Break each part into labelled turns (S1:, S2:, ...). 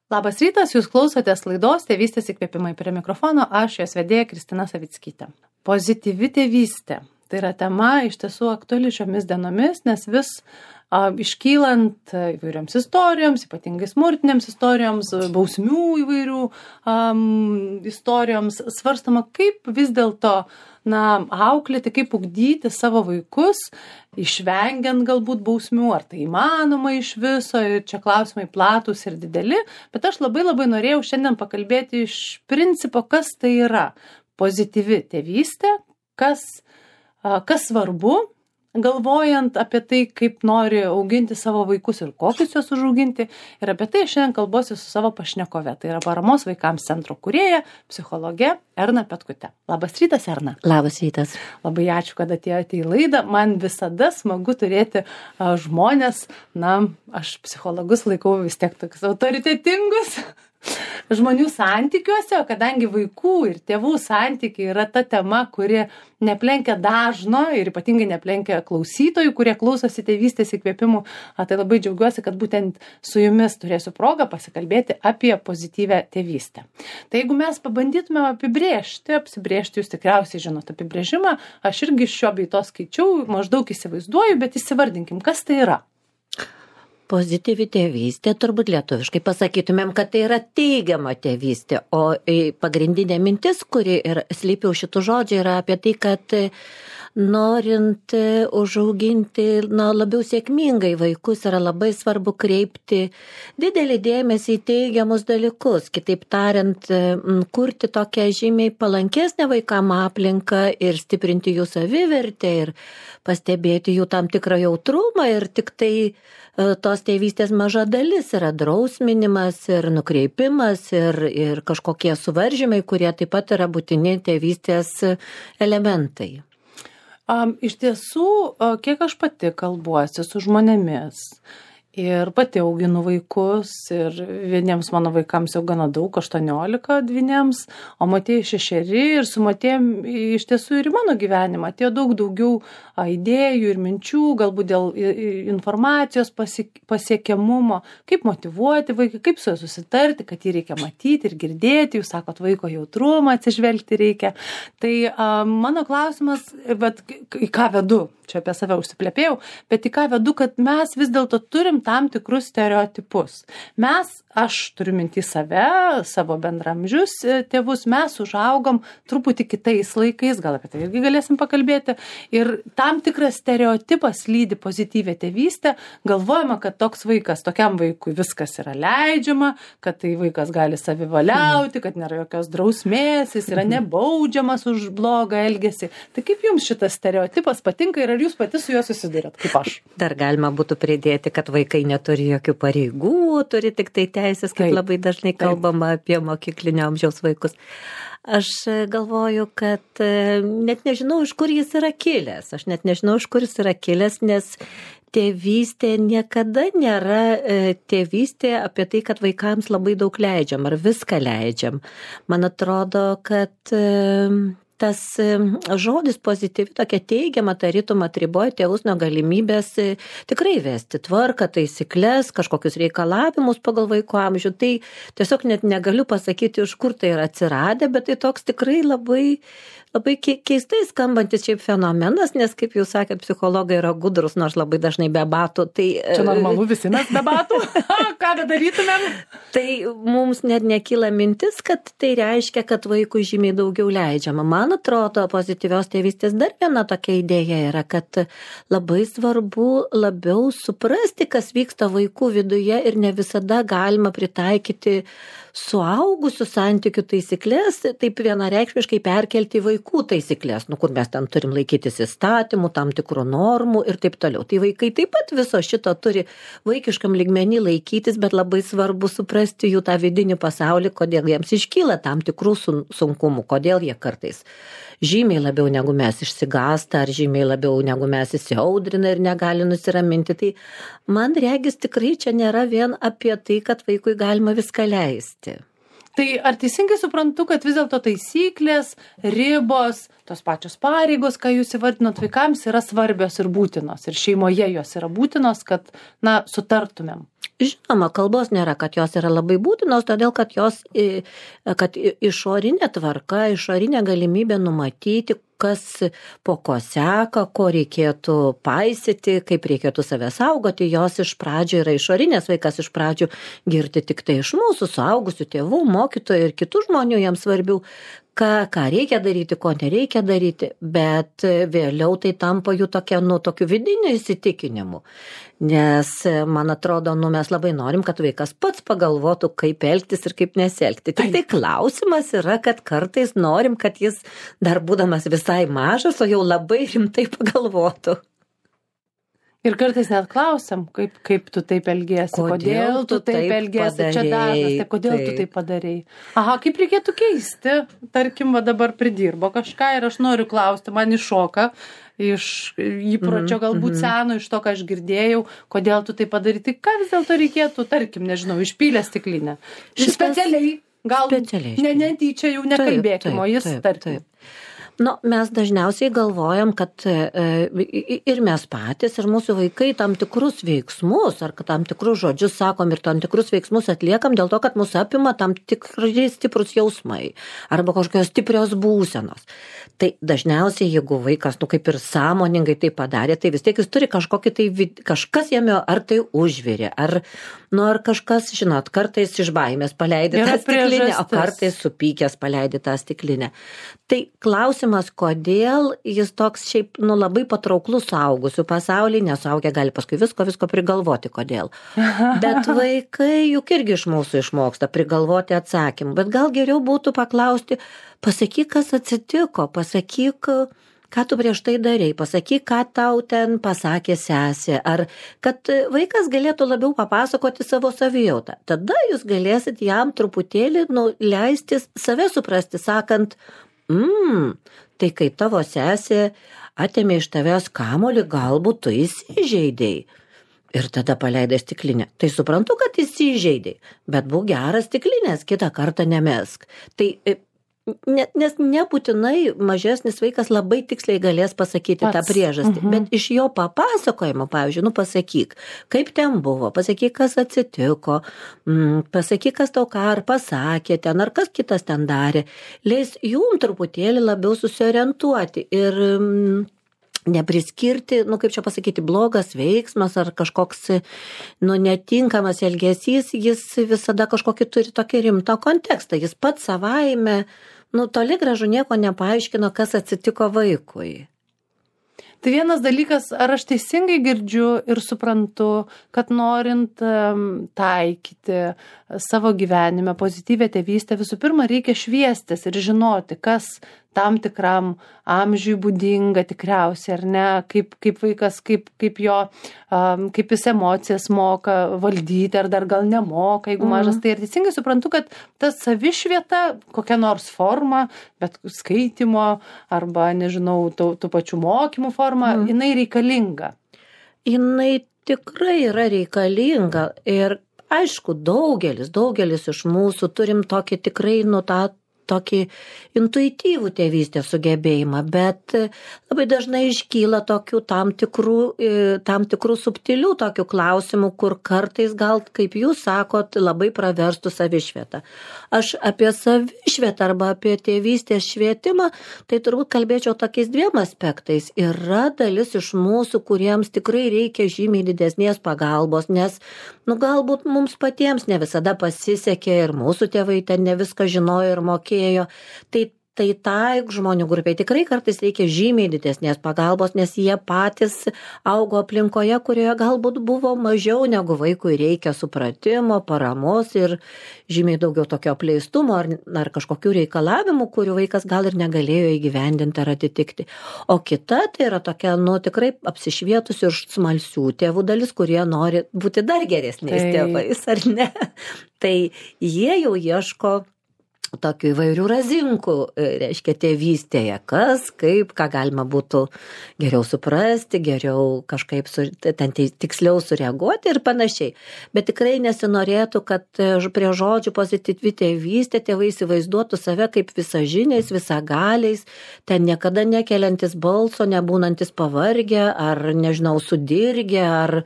S1: Labas rytas, jūs klausotės laidos Tėvystės įkvėpimai, prie mikrofono, aš jos vedėja Kristina Savickytė. Pozityvi tėvystė. Tai yra tema iš tiesų aktuali šiomis dienomis, nes vis iškylant įvairioms istorijoms, ypatingai smurtinėms istorijoms, bausmių įvairių istorijoms, svarstama, kaip vis dėlto auklėti, kaip ugdyti savo vaikus, išvengiant galbūt bausmių, ar tai įmanoma iš viso, ir čia klausimai platūs ir dideli, bet aš labai norėjau šiandien pakalbėti iš principo, kas tai yra pozityvi tėvystė, kas svarbu, galvojant apie tai, kaip nori auginti savo vaikus ir kokius juos užauginti. Ir apie tai šiandien kalbuosi su savo pašnekove. Tai yra Paramos vaikams centro kūrėja, psichologė Erna Petkutė. Labas rytas, Erna.
S2: Labas rytas.
S1: Labai ačiū, kad atėjote į laidą. Man visada smagu turėti žmonės, aš psichologus laikau vis tiek tokius autoritetingus žmonių santykiuose, o kadangi vaikų ir tėvų santykiai yra ta tema, kuri neplenkia dažno ir ypatingai neplenkia klausytojų, kurie klausosi Tėvystės įkvėpimų, tai labai džiaugiuosi, kad būtent su jumis turėsiu progą pasikalbėti apie pozityvę tėvystę. Tai jeigu mes pabandytume apsibrėžti, jūs tikriausiai žinot apibrėžimą, aš irgi šio bei to skaičiau, maždaug įsivaizduoju, bet įsivardinkim, kas tai yra.
S2: Pozityvi tėvystė, turbūt lietuviškai pasakytumėm, kad tai yra teigiama tėvystė, o pagrindinė mintis, kuri ir slypi už šitų žodžių, yra apie tai, kad norint užauginti labiau sėkmingai vaikus, yra labai svarbu kreipti didelį dėmesį į teigiamus dalykus, kitaip tariant, kurti tokią žymiai palankesnę vaikam aplinką ir stiprinti jų savivertę ir pastebėti jų tam tikrą jautrumą, ir tik tai tos tėvystės maža dalis yra drausminimas ir nukreipimas ir kažkokie suvaržymai, kurie taip pat yra būtini tėvystės elementai.
S1: Iš tiesų, kiek aš pati kalbuosi su žmonėmis ir pati auginu vaikus, ir vieniems mano vaikams jau gana daug, 18 dvyniems, o Matėjai 6, ir su Matėjim iš tiesų ir į mano gyvenimą atėjo daug daugiau idėjų ir minčių, galbūt dėl informacijos pasiekiamumo, kaip motyvuoti vaiką, kaip su juo susitarti, kad jį reikia matyti ir girdėti, jūs sakot, vaiko jautrumą atsižvelgti reikia. Tai mano klausimas, bet į ką vedu, čia apie save užsiplepėjau, bet į ką vedu, kad mes vis dėlto turim tam tikrus stereotipus. Aš turiu minti save, savo bendramžius tėvus, mes užaugom truputį kitais laikais, gal apie tai irgi galėsim pakalbėti, ir tam tikras stereotipas lydi pozityvę tėvystę, galvojama, kad tokiam vaikui viskas yra leidžiama, kad tai vaikas gali savivaliauti, kad nėra jokios drausmės, jis yra nebaudžiamas už blogą elgesį. Tai kaip jums šitas stereotipas patinka ir ar jūs pati su juo susidurėt, kaip aš?
S2: Dar galima būtų pridėti, kad vaikai neturi jokių pareigų, turi tik tai teisės, kaip labai dažnai kalbama apie mokyklinio amžiaus vaikus. Aš galvoju, kad net nežinau, iš kur jis yra kilęs. Nes tėvystė niekada nėra tėvystė apie tai, kad vaikams labai daug leidžiam ar viską leidžiam. Man atrodo, kad tas žodis pozityvi, tokia teigiama, tarytum atriboja tėvus nuo galimybės tikrai vesti tvarką, taisyklės, kažkokius reikalavimus pagal vaiko amžių. Tai tiesiog net negaliu pasakyti, iš kur tai yra atsiradę, bet tai toks tikrai labai keistai skambantis šiaip fenomenas, nes, kaip jūs sakėt, psichologai yra gudrus, nors labai dažnai be batų. Tai,
S1: čia normalu, visi mes be batų. Ką darytumėm?
S2: Tai mums net nekyla mintis, kad tai reiškia, kad vaikui žymiai daugiau leidžiama. Man atrodo, pozityvios tėvystės dar viena tokia idėja yra, kad labai svarbu labiau suprasti, kas vyksta vaikų viduje, ir ne visada galima pritaikyti suaugusių santykių taisyklės, taip vienareikšmiškai perkelti vaikų taisyklės, kur mes ten turim laikytis įstatymų, tam tikrų normų ir taip toliau. Tai vaikai taip pat viso šito turi vaikiškam lygmenį laikytis, bet labai svarbu suprasti jų tą vidinį pasaulį, kodėl jiems iškyla tam tikrų sunkumų, kodėl jie kartais žymiai labiau negu mes išsigąsta, ar žymiai labiau negu mes įsiaudrina ir negali nusiraminti. Tai man regis tikrai čia nėra vien apie tai, kad vaikui galima viską leisti.
S1: Tai ar teisingai suprantu, kad vis dėlto taisyklės, ribos, tos pačios pareigos, ką jūs įvardinot vaikams, yra svarbios ir būtinos, ir šeimoje jos yra būtinos, kad, sutartumėm?
S2: Žinoma, kalbos nėra, kad jos yra labai būtinos, todėl kad išorinė tvarka, išorinė galimybė numatyti, kas po ko seka, ko reikėtų paisyti, kaip reikėtų save saugoti, jos iš pradžių yra išorinės, vaikas iš pradžių girdi tik tai iš mūsų, suaugusių tėvų, mokytojų ir kitų žmonių jiems svarbių, ką reikia daryti, ko nereikia daryti, bet vėliau tai tampa jų tokiu vidiniu įsitikinimu. Nes, man atrodo, mes labai norim, kad vaikas pats pagalvotų, kaip elgtis ir kaip nesielgti. Tik tai klausimas yra, kad kartais norim, kad jis dar būdamas visai mažas, o jau labai rimtai pagalvotų.
S1: Ir kartais net klausiam, kaip tu taip elgiesi, kodėl tu taip elgiesi, čia dažnas, kodėl tu taip padarei. Aha, kaip reikėtų keisti, tarkim, dabar pridirbo kažką ir aš noriu klausti, man iššoka iš įpročio galbūt seno, iš to, ką aš girdėjau, kodėl tu taip padarai, tai ką vis dėlto reikėtų, tarkim, nežinau, išpylę stiklinę. Specialiai, gal netyčia jau nekalbėkime, o jis tarkim.
S2: Mes dažniausiai galvojam, kad ir mes patys, ir mūsų vaikai tam tikrus veiksmus, ar tam tikrus žodžius sakom ir tam tikrus veiksmus atliekam dėl to, kad mus apima tam tikrai stiprus jausmai arba kažkokios stiprios būsenos. Tai dažniausiai, jeigu vaikas, kaip ir sąmoningai tai padarė, tai vis tiek jis turi kažkokį tai, kažkas jame ar tai užvirė, ar kažkas, žinot, kartais iš baimės paleidė tą stiklinę, o kartais supykęs paleidė tą stiklinę. Tai klausimas, kodėl jis toks šiaip labai patrauklus suaugusių pasaulyje, nesuaugę gali paskui visko prigalvoti, kodėl. Bet vaikai juk irgi iš mūsų išmoksta prigalvoti atsakymų, bet gal geriau būtų paklausti, pasakyk, kas atsitiko, pasakyk, ką tu prieš tai darei, pasakyk, ką tau ten pasakė sesė, ar kad vaikas galėtų labiau papasakoti savo savijautą. Tada jūs galėsit jam truputėlį leisti save suprasti, sakant, tai kai tavo sesė atėmė iš tavęs kamuolį, galbūt tu įsižeidei. Ir tada paleidai stiklinę. Tai suprantu, kad įsižeidei, bet būk geras stiklinės, kitą kartą nemesk. Tai nes nebūtinai mažesnis vaikas labai tiksliai galės pasakyti tą priežastį, bet iš jo papasakojimo, pavyzdžiui, pasakyk, kaip ten buvo, pasakyk, kas atsitiko, pasakyk, kas tau ką ar pasakė ten, ar kas kitas ten darė, leis jum truputėlį labiau susiorientuoti ir nepriskirti, kaip čia pasakyti, blogas veiksmas ar kažkoks, netinkamas elgesys, jis visada kažkokį turi tokį rimtą kontekstą, jis pats savaime, toli gražu nieko nepaaiškino, kas atsitiko vaikui.
S1: Tai vienas dalykas, ar aš teisingai girdžiu ir suprantu, kad norint taikyti savo gyvenime pozityvią tėvystę, visų pirma reikia šviestis ir žinoti, kas tam tikram amžiui būdinga tikriausiai, ar ne, kaip vaikas, kaip jis emocijas moka valdyti, ar dar gal nemoka, jeigu mažas. Tai ir teisingai suprantu, kad ta savišvieta, kokia nors forma, bet skaitymo arba, nežinau, tų pačių mokymų forma, jinai reikalinga.
S2: Jinai tikrai yra reikalinga ir aišku, daugelis iš mūsų turim tokį tikrai tokį intuityvų tėvystės sugebėjimą, bet labai dažnai iškyla tokių tam tikrų subtilių tokių klausimų, kur kartais gal, kaip jūs sakot, labai praverstų savišvietą. Aš apie savišvietą arba apie tėvystės švietimą, tai turbūt kalbėčiau tokiais dviem aspektais. Yra dalis iš mūsų, kuriems tikrai reikia žymiai didesnės pagalbos, nes galbūt mums patiems ne visada pasisekė ir mūsų tėvai ten ne viską žinojo ir mokėjo. Tai žmonių grupiai tikrai kartais reikia žymiai didesnės pagalbos, nes jie patys augo aplinkoje, kurioje galbūt buvo mažiau negu vaikui reikia supratimo, paramos ir žymiai daugiau tokio apleistumo ar kažkokių reikalavimų, kurių vaikas gal ir negalėjo įgyvendinti ar atitikti. O kita tai yra tokia, tikrai apsišvietusių ir smalsių tėvų dalis, kurie nori būti dar geresniais tėvais, ar ne? Tai jie jau ieško tokių įvairių razinkų, reiškia, tėvystėje, kas, kaip, ką galima būtų geriau suprasti, geriau kažkaip ten tiksliau sureaguoti ir panašiai. Bet tikrai nesinorėtų, kad prie žodžių pozityvi tėvystė tėvai įsivaizduotų save kaip visažiniais, visagaliais, ten niekada nekeliantis balso, nebūnantis pavargę, ar, nežinau, sudirgę, ar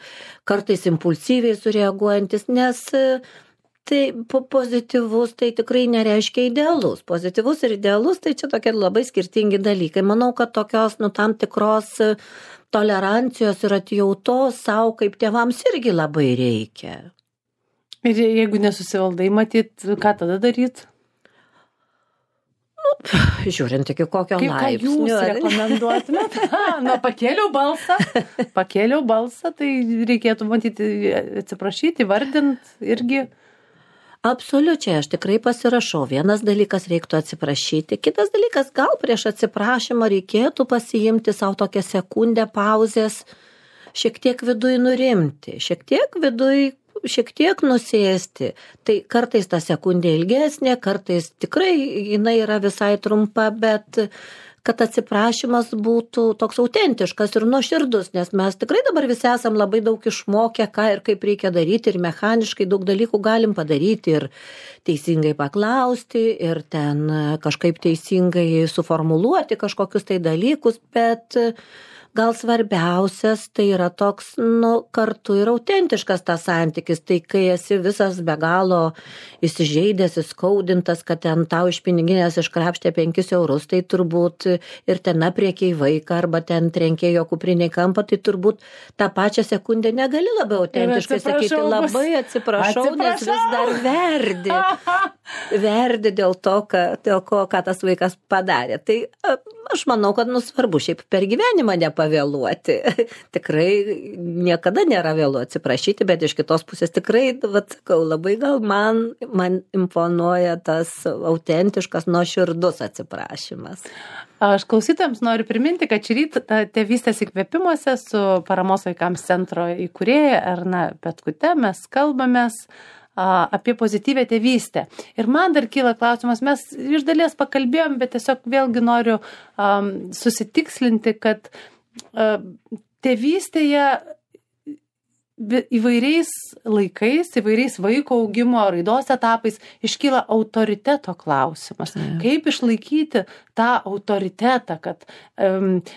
S2: kartais impulsyviai sureaguojantis, nes tai pozityvus tai tikrai nereiškia idealus. Pozityvus ir idealus tai čia tokie labai skirtingi dalykai. Manau, kad tokios, tam tikros tolerancijos ir atjautos savo kaip tėvams irgi labai reikia.
S1: Ir jeigu nesusivaldai, matyt, ką tada daryt?
S2: Žiūrint iki kokio laipsnio.
S1: Ką jūs rekomenduotumėt? Pakėliau balsą, tai reikėtų matyti, atsiprašyti, vardint irgi.
S2: Absoliučiai, aš tikrai pasirašau. Vienas dalykas reiktų atsiprašyti, kitas dalykas gal prieš atsiprašymą reikėtų pasiimti savo tokią sekundę pauzės, šiek tiek viduj nurimti, šiek tiek nusėsti. Tai kartais ta sekundė ilgesnė, kartais tikrai jinai yra visai trumpa, bet kad atsiprašymas būtų toks autentiškas ir nuoširdus, nes mes tikrai dabar visi esam labai daug išmokę, ką ir kaip reikia daryti, ir mechaniškai daug dalykų galim padaryti, ir teisingai paklausti, ir ten kažkaip teisingai suformuluoti kažkokius tai dalykus, bet gal svarbiausias tai yra toks, kartu ir autentiškas tas santykis. Tai kai esi visas be galo įsižeidęs, įskaudintas, kad ten tau iš piniginės iškrapštė 5 eurus, tai turbūt ir ten apriekiai vaiką arba ten trenkėjo kupriniai kampą, tai turbūt tą pačią sekundę negali labai autentiškai sakyti, labai atsiprašau, nes vis dar verdi dėl to, ką tas vaikas padarė. Tai aš manau, kad svarbu šiaip per gyvenimą nepavėluoti. Tikrai niekada nėra vėlu atsiprašyti, bet iš kitos pusės tikrai, sakau, labai gal man imponuoja tas autentiškas, nuoširdus atsiprašymas.
S1: Aš klausytojams noriu priminti, kad šį rytą Tėvystės įkvėpimuose su Paramos vaikams centro įkūrėja Erna Petkute mes kalbamės apie pozityvę tėvystę. Ir man dar kyla klausimas, mes iš dalies pakalbėjom, bet tiesiog vėlgi noriu susitikslinti, kad tėvystėje įvairiais laikais, įvairiais vaiko augimo raidos etapais iškyla autoriteto klausimas. Kaip išlaikyti tą autoritetą, kad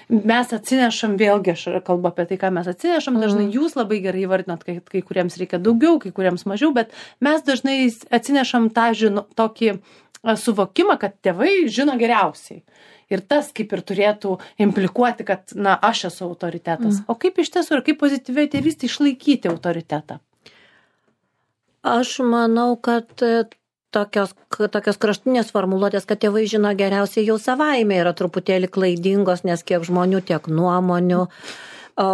S1: mes atsinešam, vėlgi aš kalbu apie tai, ką mes atsinešam, dažnai jūs labai gerai įvardinat, kai kuriems reikia daugiau, kai kuriems mažiau, bet mes dažnai atsinešam tą tokį suvokimą, kad tėvai žino geriausiai. Ir tas kaip ir turėtų implikuoti, kad, aš esu autoritetas. O kaip iš tiesų ir kaip pozityviai tėvystė išlaikyti autoritetą?
S2: Aš manau, kad tokios kraštinės formuluotės, kad tėvai žino geriausiai jau savaime yra truputėlį klaidingos, nes kiek žmonių, tiek nuomonių. O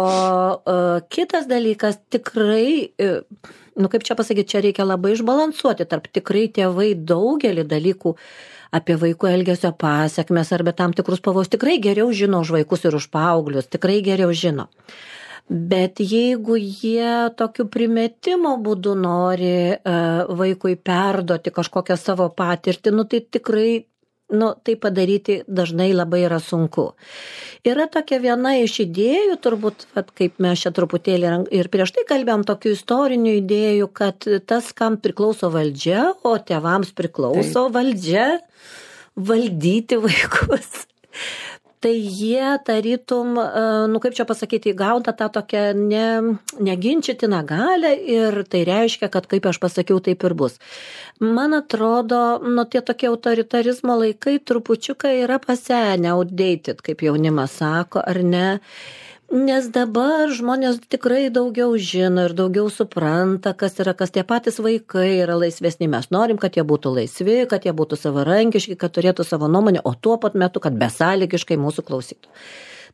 S2: kitas dalykas tikrai, kaip čia pasakyti, čia reikia labai išbalansuoti tarp tikrai tėvai daugelį dalykų apie vaikų elgesio pasekmes arba tam tikrus pavojus tikrai geriau žino už vaikus ir už paauglius, tikrai geriau žino. Bet jeigu jie tokiu primetimo būdu nori vaikui perduoti kažkokią savo patirtį, tai tikrai tai padaryti dažnai labai yra sunku. Yra tokia viena iš idėjų, turbūt, kaip mes čia truputėlį ir prieš tai kalbėjom, tokių istorinių idėjų, kad tas, kam priklauso valdžia, o tėvams priklauso valdžia valdyti vaikus. Tai jie tarytum, kaip čia pasakyti, įgauna tą tokią neginčytiną galią ir tai reiškia, kad kaip aš pasakiau, taip ir bus. Man atrodo, tie tokie autoritarizmo laikai trupučiuką yra pasenę, outdated, kaip jaunimas sako, ar ne? Nes dabar žmonės tikrai daugiau žino ir daugiau supranta, kas yra, kas tie patys vaikai yra laisvesni. Mes norim, kad jie būtų laisvi, kad jie būtų savarankiški, kad turėtų savo nuomonę, o tuo pat metu, kad besąlygiškai mūsų klausytų.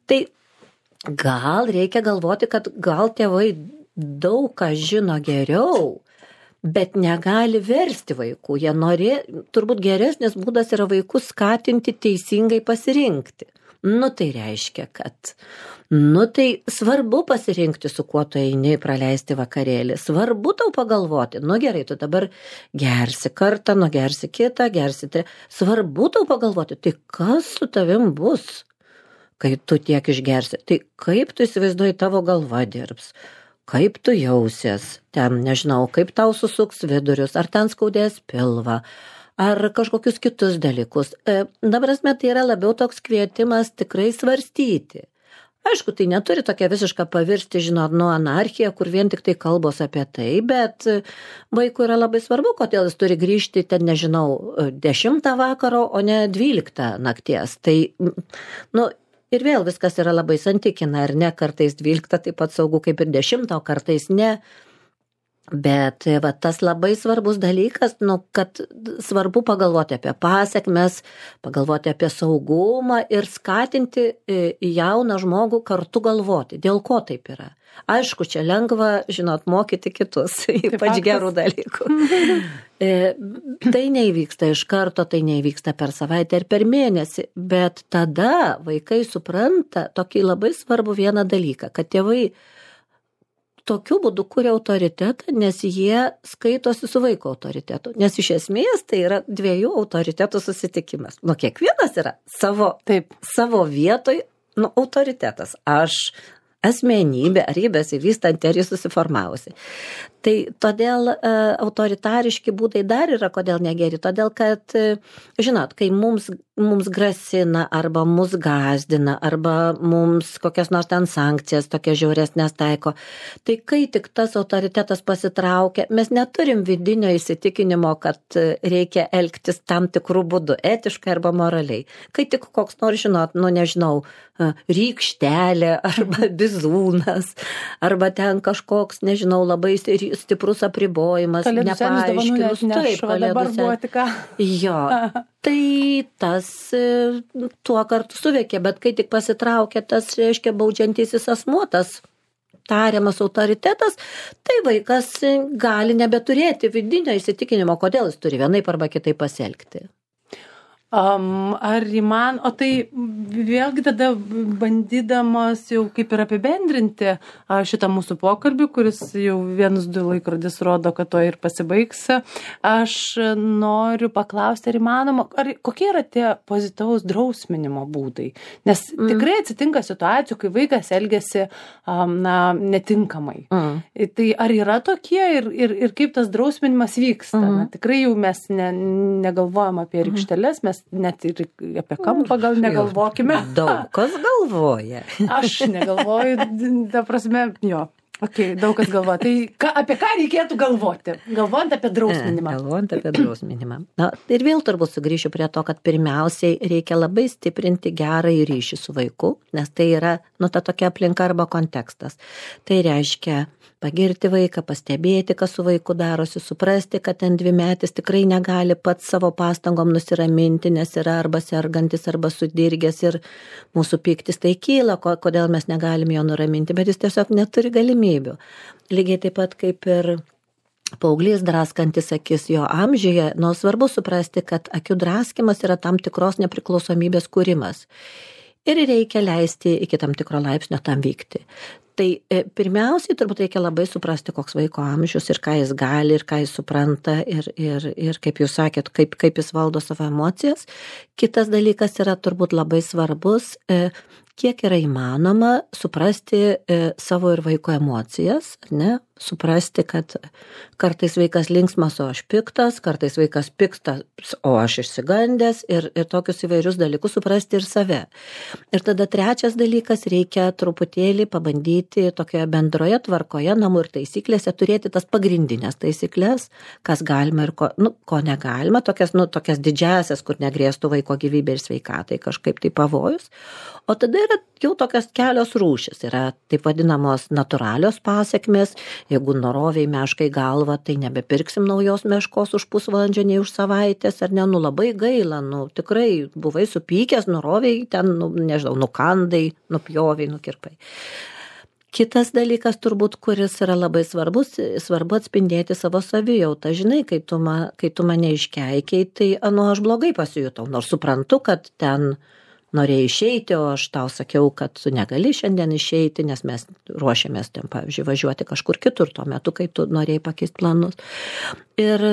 S2: Tai gal reikia galvoti, kad gal tėvai daug ką žino geriau, bet negali versti vaikų. Jie turbūt geresnis būdas yra vaikus skatinti teisingai pasirinkti. Nu, tai reiškia, kad tai svarbu pasirinkti, su kuo tu eini praleisti vakarėlį. Svarbu tau pagalvoti. Nu gerai, tu dabar gersi kartą, gersi kitą, gersi tai. Svarbu tau pagalvoti, tai kas su tavim bus, kai tu tiek išgersi. Tai kaip tu įsivaizduoji, tavo galva dirbs. Kaip tu jausies, ten, nežinau, kaip tau susuks vidurius, ar ten skaudės pilvą, ar kažkokius kitus dalykus. Dabar tai yra labiau toks kvietimas tikrai svarstyti. Aišku, tai neturi tokia visiška pavirsti, žinot, anarchija, kur vien tik tai kalbos apie tai, bet vaikui yra labai svarbu, kodėl jis turi grįžti, ten, nežinau, 10 vakaro, o ne 12 nakties. Tai, ir vėl viskas yra labai santykina, ar ne, kartais 12 taip pat saugu kaip ir 10, o kartais ne. Bet tas labai svarbus dalykas, kad svarbu pagalvoti apie pasekmes, pagalvoti apie saugumą ir skatinti jauną žmogų kartu galvoti, dėl ko taip yra. Aišku, čia lengva, žinot, mokyti kitus, ypač gerų dalykų. Tai neįvyksta iš karto, tai neįvyksta per savaitę ir per mėnesį, bet tada vaikai supranta tokį labai svarbų vieną dalyką, kad tėvai tokiu būdu kuria autoritetą, nes jie skaitosi su vaiko autoritetu. Nes iš esmės tai yra 2 autoritetų susitikimas. Kiekvienas yra savo vietoj autoritetas. Aš asmenybė, ar jį besivystanti, ar jį susiformavusi. Tai todėl autoritariški būdai dar yra, kodėl negeri. Todėl, kad, žinot, kai mums grasina, arba mus gazdina, arba mums kokias nors ten sankcijas, tokias žiauresnės taiko, tai kai tik tas autoritetas pasitraukia, mes neturim vidinio įsitikinimo, kad reikia elgtis tam tikrų būdų, etiškai arba moraliai. Kai tik koks nors, žinot, nežinau, rykštelė, arba bizūnas, arba ten kažkoks, nežinau, labai stiprus apribojimas, nepaaiškinus. Taip,
S1: dabar buvo tik ką.
S2: Jo, tai tas tuo kartu suveikia, bet kai tik pasitraukia tas, reiškia, baudžiantysis asmuo, tas tariamas autoritetas, tai vaikas gali nebeturėti vidinio įsitikinimo, kodėl jis turi vienaip arba kitaip pasielgti.
S1: O tai vėlgi tada bandydamas jau kaip ir apibendrinti šitą mūsų pokalbį, kuris jau 1-2 laikrodis rodo, kad to ir pasibaigs, aš noriu paklausti, ar įmanoma, kokie yra tie pozityvaus drausminimo būdai? Nes tikrai atsitinka situacijų, kai vaikas elgiasi netinkamai. Tai ar yra tokie ir kaip tas drausminimas vyksta? Tikrai jau mes negalvojam apie rykšteles, mes net ir apie kampą gal negalvokime.
S2: Daug kas galvoja.
S1: Aš negalvoju, ta prasme, jo. Okay, daug kas galvoja. Tai apie ką reikėtų galvoti? Galvojant apie drausminimą.
S2: Ir vėl turbūt sugrįšiu prie to, kad pirmiausiai reikia labai stiprinti gerąjį ryšį su vaiku, nes tai yra, ta tokia aplinka arba kontekstas. Tai reiškia pagirti vaiką, pastebėti, kas su vaiku darosi, suprasti, kad ten 2-metis tikrai negali pats savo pastangom nusiraminti, nes yra arba sergantis, arba sudirgęs ir mūsų pyktis tai kyla, kodėl mes negalim jo nuraminti, bet jis tiesiog neturi galimybių. Lygiai taip pat kaip ir paauglys draskantis akis jo amžiuje, svarbu suprasti, kad akių draskimas yra tam tikros nepriklausomybės kūrimas. Ir reikia leisti iki tam tikro laipsnio tam vykti. Tai pirmiausiai turbūt reikia labai suprasti, koks vaiko amžius ir ką jis gali, ir ką jis supranta, ir kaip jūs sakėt, kaip jis valdo savo emocijas. Kitas dalykas yra turbūt labai svarbus, kiek yra įmanoma suprasti savo ir vaiko emocijas, ne? Suprasti, kad kartais vaikas linksmas, o aš piktas, kartais vaikas piktas, o aš išsigandęs ir tokius įvairius dalykus suprasti ir save. Ir tada trečias dalykas, reikia truputėlį pabandyti tokioje bendroje tvarkoje, namų ir taisyklėse turėti tas pagrindinės taisyklės, kas galima ir ko negalima, tokias didžiasias, kur negrėstų vaiko gyvybė ir sveikatai kažkaip tai pavojus. O tada yra jau tokios kelios rūšis, yra taip vadinamos natūralios pasekmės. Jeigu noroviai meškai galvą, tai nebepirksim naujos meškos už pusvalandžio, nei už savaitės, ar ne, labai gaila, tikrai buvai supykęs, noroviai ten, nežinau, nukandai, nupjoviai, nukirpai. Kitas dalykas turbūt, kuris yra labai svarbus, svarbu atspindėti savo savijautą. Žinai, kai tu mane iškeikiai, tai aš blogai pasijutau, nors suprantu, kad ten norėjai išeiti, o aš tau sakiau, kad tu negali šiandien išeiti, nes mes ruošiamės ten, pavyzdžiui, važiuoti kažkur kitur tuo metu, kai tu norėjai pakeisti planus. Ir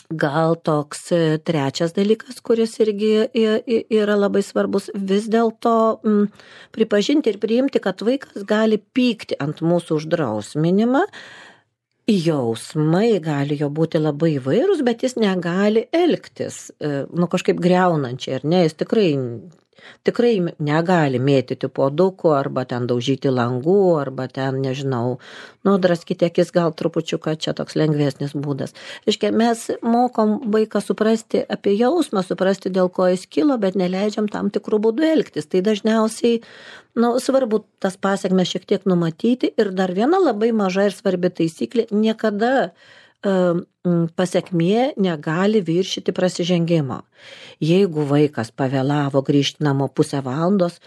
S2: gal toks trečias dalykas, kuris irgi yra labai svarbus, vis dėlto pripažinti ir priimti, kad vaikas gali pykti ant mūsų uždrausminimą. Jausmai gali jo būti labai įvairūs, bet jis negali elgtis, kažkaip griaunančiai, ar ne, jis tikrai negali mėtyti puodukų, arba ten daužyti langų, arba ten, nežinau, draskyti akis, gal trupučiuką, čia toks lengvesnis būdas. Reiškia, mes mokom vaiką suprasti apie jausmą, suprasti, dėl ko jis kilo, bet neleidžiam tam tikrų būdų elgtis. Tai dažniausiai, svarbu tas pasekmes šiek tiek numatyti. Ir dar viena labai maža ir svarbi taisyklė, niekada pasekmė negali viršyti prasižengimo. Jeigu vaikas pavėlavo grįžti namo pusę valandos,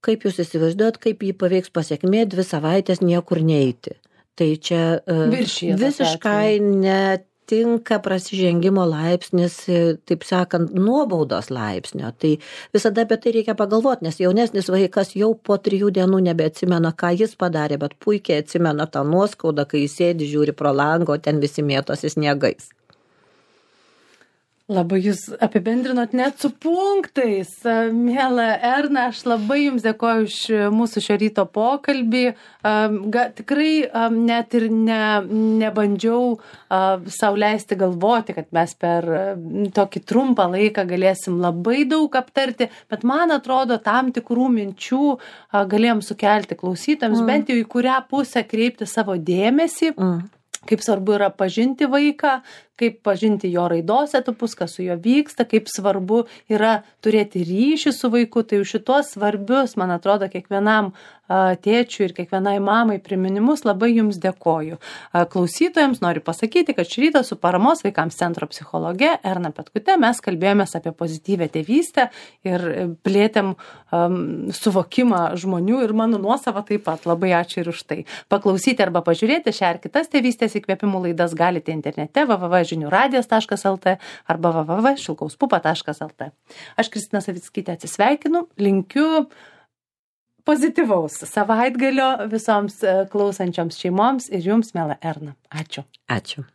S2: kaip jūs įsivaizduojat, kaip jį paveiks pasekmė 2 savaitės niekur neiti. Tai čia visiškai netinka prasižengimo laipsnis, taip sakant, nuobaudos laipsnio. Tai visada apie tai reikia pagalvoti, nes jaunesnis vaikas jau po 3 dienų nebeatsimena, ką jis padarė, bet puikiai atsimena tą nuoskaudą, kai jis sėdi, žiūri pro langą, o ten visi mėtosi sniegais.
S1: Labai jūs apibendrinot net su punktais. Miela Erna, aš labai jums dėkoju už mūsų šio ryto pokalbį. Tikrai net ir nebandžiau sau leisti galvoti, kad mes per tokį trumpą laiką galėsim labai daug aptarti, bet man atrodo, tam tikrų minčių galėjom sukelti klausytojams, bent jau į kurią pusę kreipti savo dėmesį. Kaip svarbu yra pažinti vaiką, kaip pažinti jo raidos etapus, kas su juo vyksta, kaip svarbu yra turėti ryšį su vaiku. Tai už šitos svarbius, man atrodo, kiekvienam tėčiui ir kiekvienai mamai priminimus labai jums dėkoju. Klausytojams noriu pasakyti, kad šį rytą su Paramos vaikams centro psichologe Erna Petkute mes kalbėjomės apie pozityvę tėvystę ir plėtėm suvokimą žmonių ir mano nuosavą taip pat. Labai ačiū ir už tai. Paklausyti arba pažiūrėti šią ir kitas tėvystės įkvėpimų laidas galite internete www.žiniuradijas.lt arba www.šilkauspupa.lt. Aš Kristina Savickytė atsisveikinu, linkiu pozityvaus savaitgalio visoms klausančioms šeimoms ir jums, miela Erna. Ačiū.
S2: Ačiū.